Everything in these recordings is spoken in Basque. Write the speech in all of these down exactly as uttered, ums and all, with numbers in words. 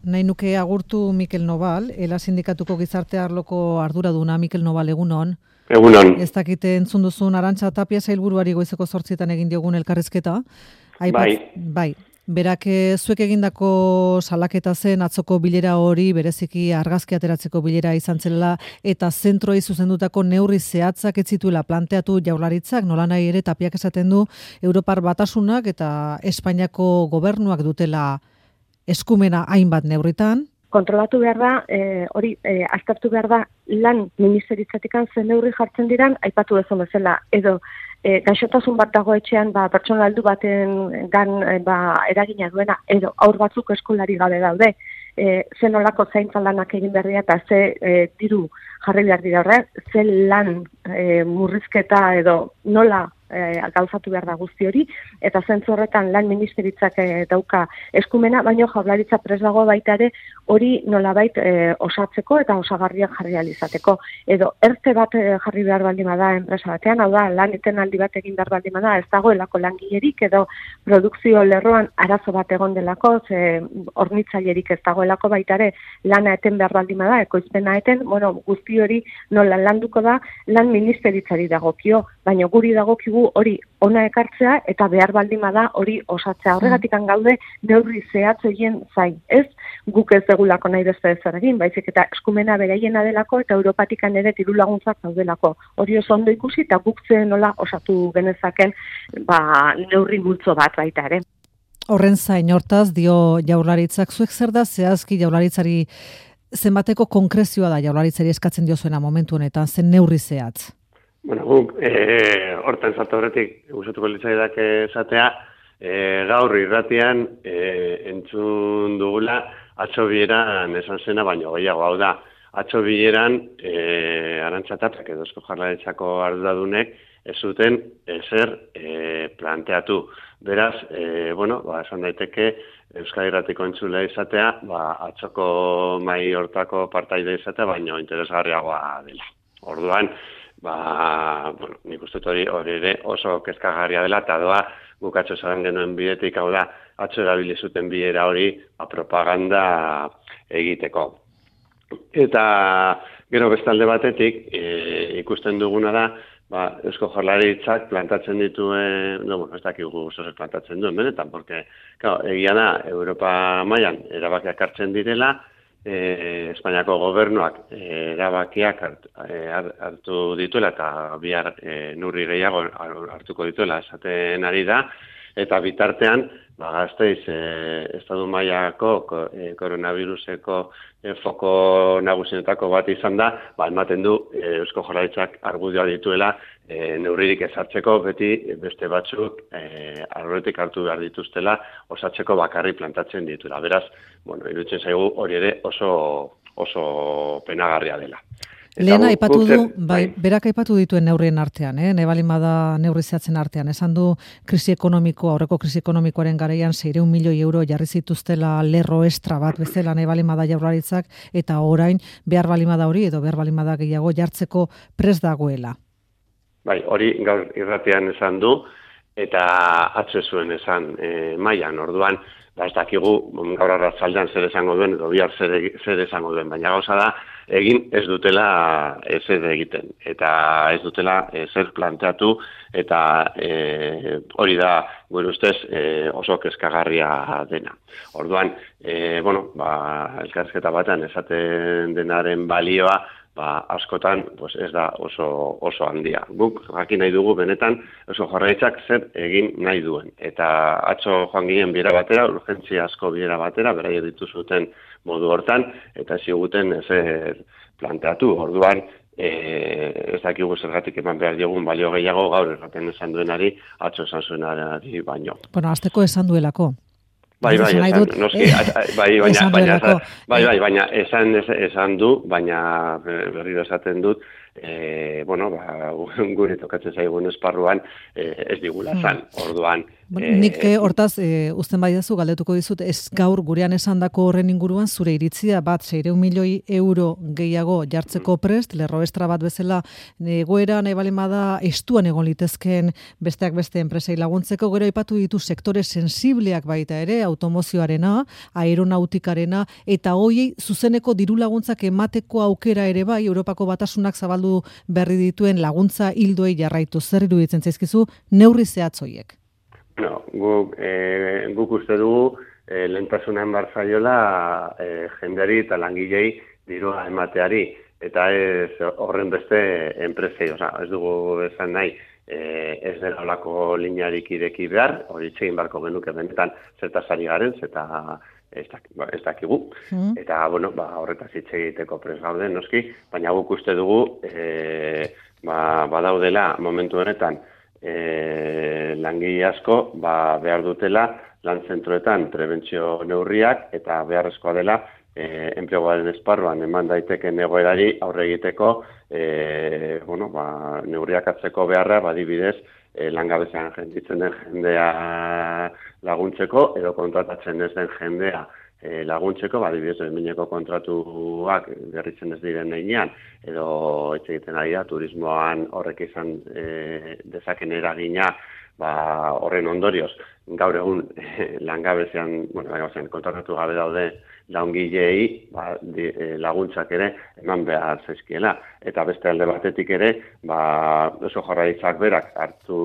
nahi nuke agurtu Mikel Nobal, Ela Sindikatuko gizarte arloko arduraduna. Mikel Nobal, egunon. Egunon. Ez dakite entzun duzun Arantxa Tapia sailburuari goizeko zortzietan egin diogun elkarrizketa. Aipat, bai. Bai. Berak zuek egindako salaketa zen atzoko bilera hori bereziki argazki ateratzeko bilera izan zela eta zentroei zuzendutako neurri zehatzak ez zituela planteatu Jaurlaritzak, nolanahi ere Tapiak esaten du Europar Batasunak eta Espainiako gobernuak dutela eskumena hainbat neurritan. Kontrolatu behar da, e, hori e, aztertu behar da lan ministeritzatikan zen neurri jartzen diran, aipatu dezun bezala, edo E, gaixotasun bat dago etxean, ba, pertsona heldu baten gan e, ba, eragina duena, edo aur batzuk eskolari gabe daude, e, ze nolako zaintza lanak egin berria eta ze e, diru jarri behar dira horre, ze lan e, murrizketa edo nola e, gauzatu behar da guzti hori, eta zentzu horretan lan ministeritzak e, dauka eskumena, baino Jaurlaritza prest dago baita ere hori nolabait e, osatzeko eta osagarriak jarri alizateko. Edo erte bat e, jarri behar baldin bada enpresa batean, hau da, lan etenaldi bat egin behar baldin bada, ez dagoelako langilerik edo produkzio lerroan arazo bat egon delako, ze hornitzailerik ez dagoelako baita ere lana eten behar baldin bada, ekoizpena eten, bueno, guzti hori nola landuko da lan ministeritzari dagokio, baina guri dagokigu hori ona ekartzea eta behar baldin bada hori osatzea. Horregatikan gaude neurri zehatz egin zain. Ez guk ez degulako nahi beste ezer egin, baizik eta eskumena beraiena delako eta Europatikan ere diru laguntzak daudelako. Hori oso ondo ikusi eta guk ze nola osatu genezaken ba, neurri multzo bat baita ere. Horren zain hortaz dio Jaurlaritzak, zuek zer da zehazki Jaurlaritzari zenbateko konkrezioa da Jaurlaritzari eskatzen diozuena momentu honetan, zen neurri zehatz? Bueno, guk, e, hortan zartu horretik, gustatuko litzaidak esatea, e, gaur irratian e, entzun dugula atzo bileran esan zena, baino gehiago, hau da, atzo bileran e, Arantxa Tapiak edo Eusko Jaurlaritzako arduradunek ez zuten ezer e, planteatu. Beraz, e, bueno, ba, esan daiteke Euskal Irratiko entzulea izatea, ba, atzoko mai hortako partaide izatea, baino interesgarriagoa dela. Orduan, ba, bueno, nik uste hori hori ere oso kezkagarria dela, eta doa guk atzo esan genuen bidetik, hau da, atzo erabili zuten bilera hori ba, propaganda egiteko. Eta gero bestalde batetik e, ikusten duguna da, ba, Eusko Jaurlaritzak plantatzen dituen, no, bueno, ez dakigu zozer plantatzen duen, benetan, porque, claro, egia da, Europa mailan erabakiak hartzen direla, E, Espainiako gobernuak e, erabakiak hartu, e, hartu dituela eta bihar e, neurri gehiago hartuko dituela esaten ari da, eta bitartean ba, Gasteiz e, estatu mailako e, koronaviruseko e, foko nagusienetako bat izan da, ba, ematen du e, Eusko Jaurlaritzak argudioa dituela e, neurririk ezartzeko, beti beste batzuk e, arroretik hartu behar dituztela osatzeko bakarri plantatzen dituela. Beraz, bueno, iruditzen zaigu hori ere oso, oso penagarria dela. Lehen aipatu du, bai, berak aipatu dituen neurrien artean, eh? Nebalin bada neurri zehatzen artean. Esan du krisi ekonomiko, aurreko krisi ekonomikoaren garaian seiehun milioi euro jarri zituztela lerro estra bat bezala Nebalin bada Jaurlaritzak, eta orain behar balin bada hori edo behar balin bada gehiago jartzeko prest dagoela. Bai, hori gaur irratian esan du, eta atzo zuen esan e, mailan, orduan, ba, ez dakigu gaur arratzaldean zer esango duen, edo bihar zer, zer esango duen, baina gauza da, egin ez dutela ezer egiten, eta ez dutela ezer planteatu, eta e, hori da, gure ustez, e, oso kezkagarria dena. Orduan, e, bueno, ba, elkarrizketa batean esaten denaren balioa, ba, askotan pues ez da oso, oso handia. Guk jakin nahi dugu benetan Eusko Jaurlaritzak zer egin nahi duen. Eta atzo joan ginen bilera batera, urgentzia asko bilera batera, beraiek dituzuten modu hortan, eta ziguten ezer planteatu. Orduan, e, ez dakigu zergatik eman behar diogun balio gehiago gaur erraten esan duenari, atzo esan zuenari baino. Bueno, azteko esan duelako. Bai, bai, esan, noski, bai, baina, baina, bai, bai, baina, esan, esan du, baina berriro esaten dut, e, bueno, ba, gure tokatzen zaigun esparruan e, ez digula zan, orduan. E, Nik hortaz, e, uzten baidazu, galdetuko dizut, ez gaur gurean esandako horren inguruan zure iritzia bat seiehun milioi euro gehiago jartzeko prest, lerro estra bat bezala egoera nahi balemada estuan egon litezkeen besteak beste enpresei laguntzeko, gero aipatu ditu sektore sensibleak baita ere, automozioarena, aeronautikarena, eta hoiei zuzeneko diru laguntzak emateko aukera ere bai, Europako Batasunak zabaldu berri dituen laguntza hildoei jarraitu. Zer iruditzen zaizkizu neurri zehatz hoiek? No, guk, e, guk uste dugu e, lehentasunan barzaiola e, jenderi eta langilei dirua emateari, eta ez horren beste enpresei, oza, ez dugu esan nahi, e, ez dela olako linearik ireki behar, hori txegin barko genuke benetan zertaz ari garen, zeta ez, dak, ez dakigu, mm. eta bueno, ba, horretaz hitz egiteko pres gauden, noski, baina guk uste dugu e, ba, badaudela momentu honetan, E, langile asko ba, behar dutela lan zentroetan prebentzio neurriak eta beharrezkoa dela e, enpleguaren esparruan eman daiteken egoerari aurre egiteko e, bueno, ba, neurriak hartzeko beharra badibidez e, langabezian jenditzen den jendea laguntzeko edo kontratatzen ez den jendea E, laguntzeko, badibidez, mineko kontratuak berritzen ez diren heinean, edo etxe egiten ari da, turismoan horrek izan e, dezaken eragina, ba, horren ondorioz, gaur egun e, langabezean, bueno, langabezean kontratatu gabe daude laungilei ba, di, e, laguntzak ere eman behar zaizkiela. Eta beste alde batetik ere, ba, oso Jaurlaritzak berak hartu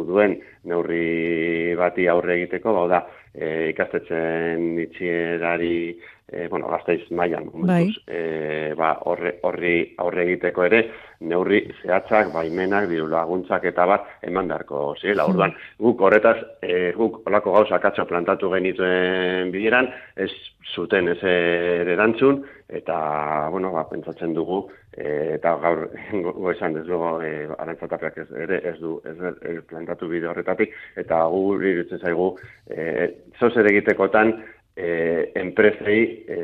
duen neurri bati aurre egiteko, bau da, E, ikastetxen itxierari, e, bueno, Gasteiz mailan momentuz, bai. e, ba, horre, horri aurre egiteko ere, neurri zehatzak, baimenak, diru laguntzak eta bat eman beharko zirela. Hmm. Orduan, guk horretaz, e, guk olako gauzak atzo plantatu genituen bideran, ez zuten ez erantzun, eta, bueno, ba, pentsatzen dugu, e, eta gaur goizan ez dugu, e, Arantzatapeak ez, ere ez du ez, ez plantatu bide horretatik, eta gu iruditzen zaigu, e, zoz ere egitekotan, e, enpresei, e,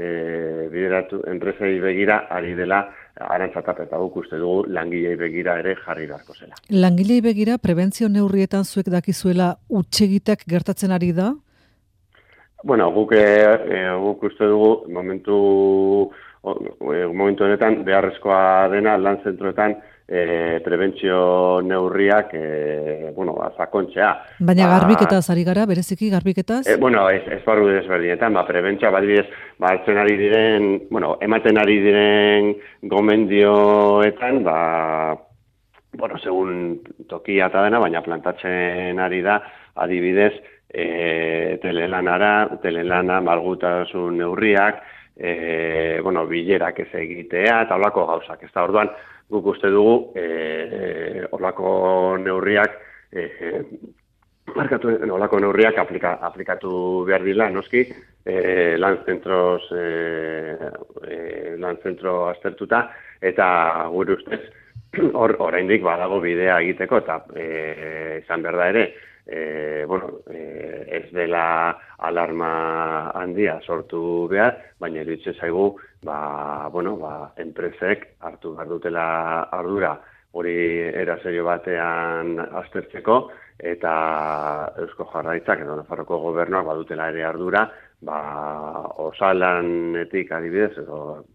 bideratu, enpresei begira ari dela Arantzatape, eta guk uste dugu langilei begira ere jarri beharko zela. Langilei begira, prebentzio neurrietan zuek dakizuela utxegitak gertatzen ari da? Bueno, guk, e, guk uste dugu momentu, o, momentu honetan beharrezkoa dena lan zentroetan e, prebentzio neurriak e, bueno, azakontzea. Baina ba, garbiketaz ari gara, bereziki garbiketaz? E, bueno, ez, ez barru desberdinetan, ba, prebentzioa badibidez, ba, hartzen ari diren, bueno, ematen ari diren gomendioetan, ba, bueno, segun tokia eta dena, baina plantatzen ari da, adibidez, E, telelanara, telelana, malgutasun neurriak, e, bueno, bilerak ez egitea, eta holako gauzak. Ez da, orduan, guk uste dugu, e, holako neurriak, e, markatu, holako neurriak aplika, aplikatu behar dila, noski, e, lan zentros, e, e, lan zentro aztertuta, eta gure ustez, hor, oraindik badago bidea egiteko, eta e, izan behar da ere, E, bueno, e, ez dela alarma handia sortu behar, baina iruditzen zaigu, ba, bueno, ba, enpresek hartu behar dutela ardura hori era serio batean aztertzeko, eta Eusko Jaurlaritzak edo Nafarroko gobernuak badutela ere ardura, ba, osalanetik adibidez, edo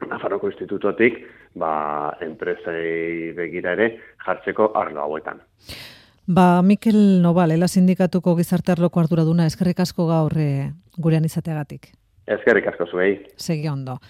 Nafarroko institutotik, ba, enpresei begira ere jartzeko arlo hauetan. Ba, Mikel Nobal, Ela Sindikatuko gizarte arloko arduraduna, eskerrik asko gaur gurean izateagatik. Eskerrik asko zuei. Segi ondo.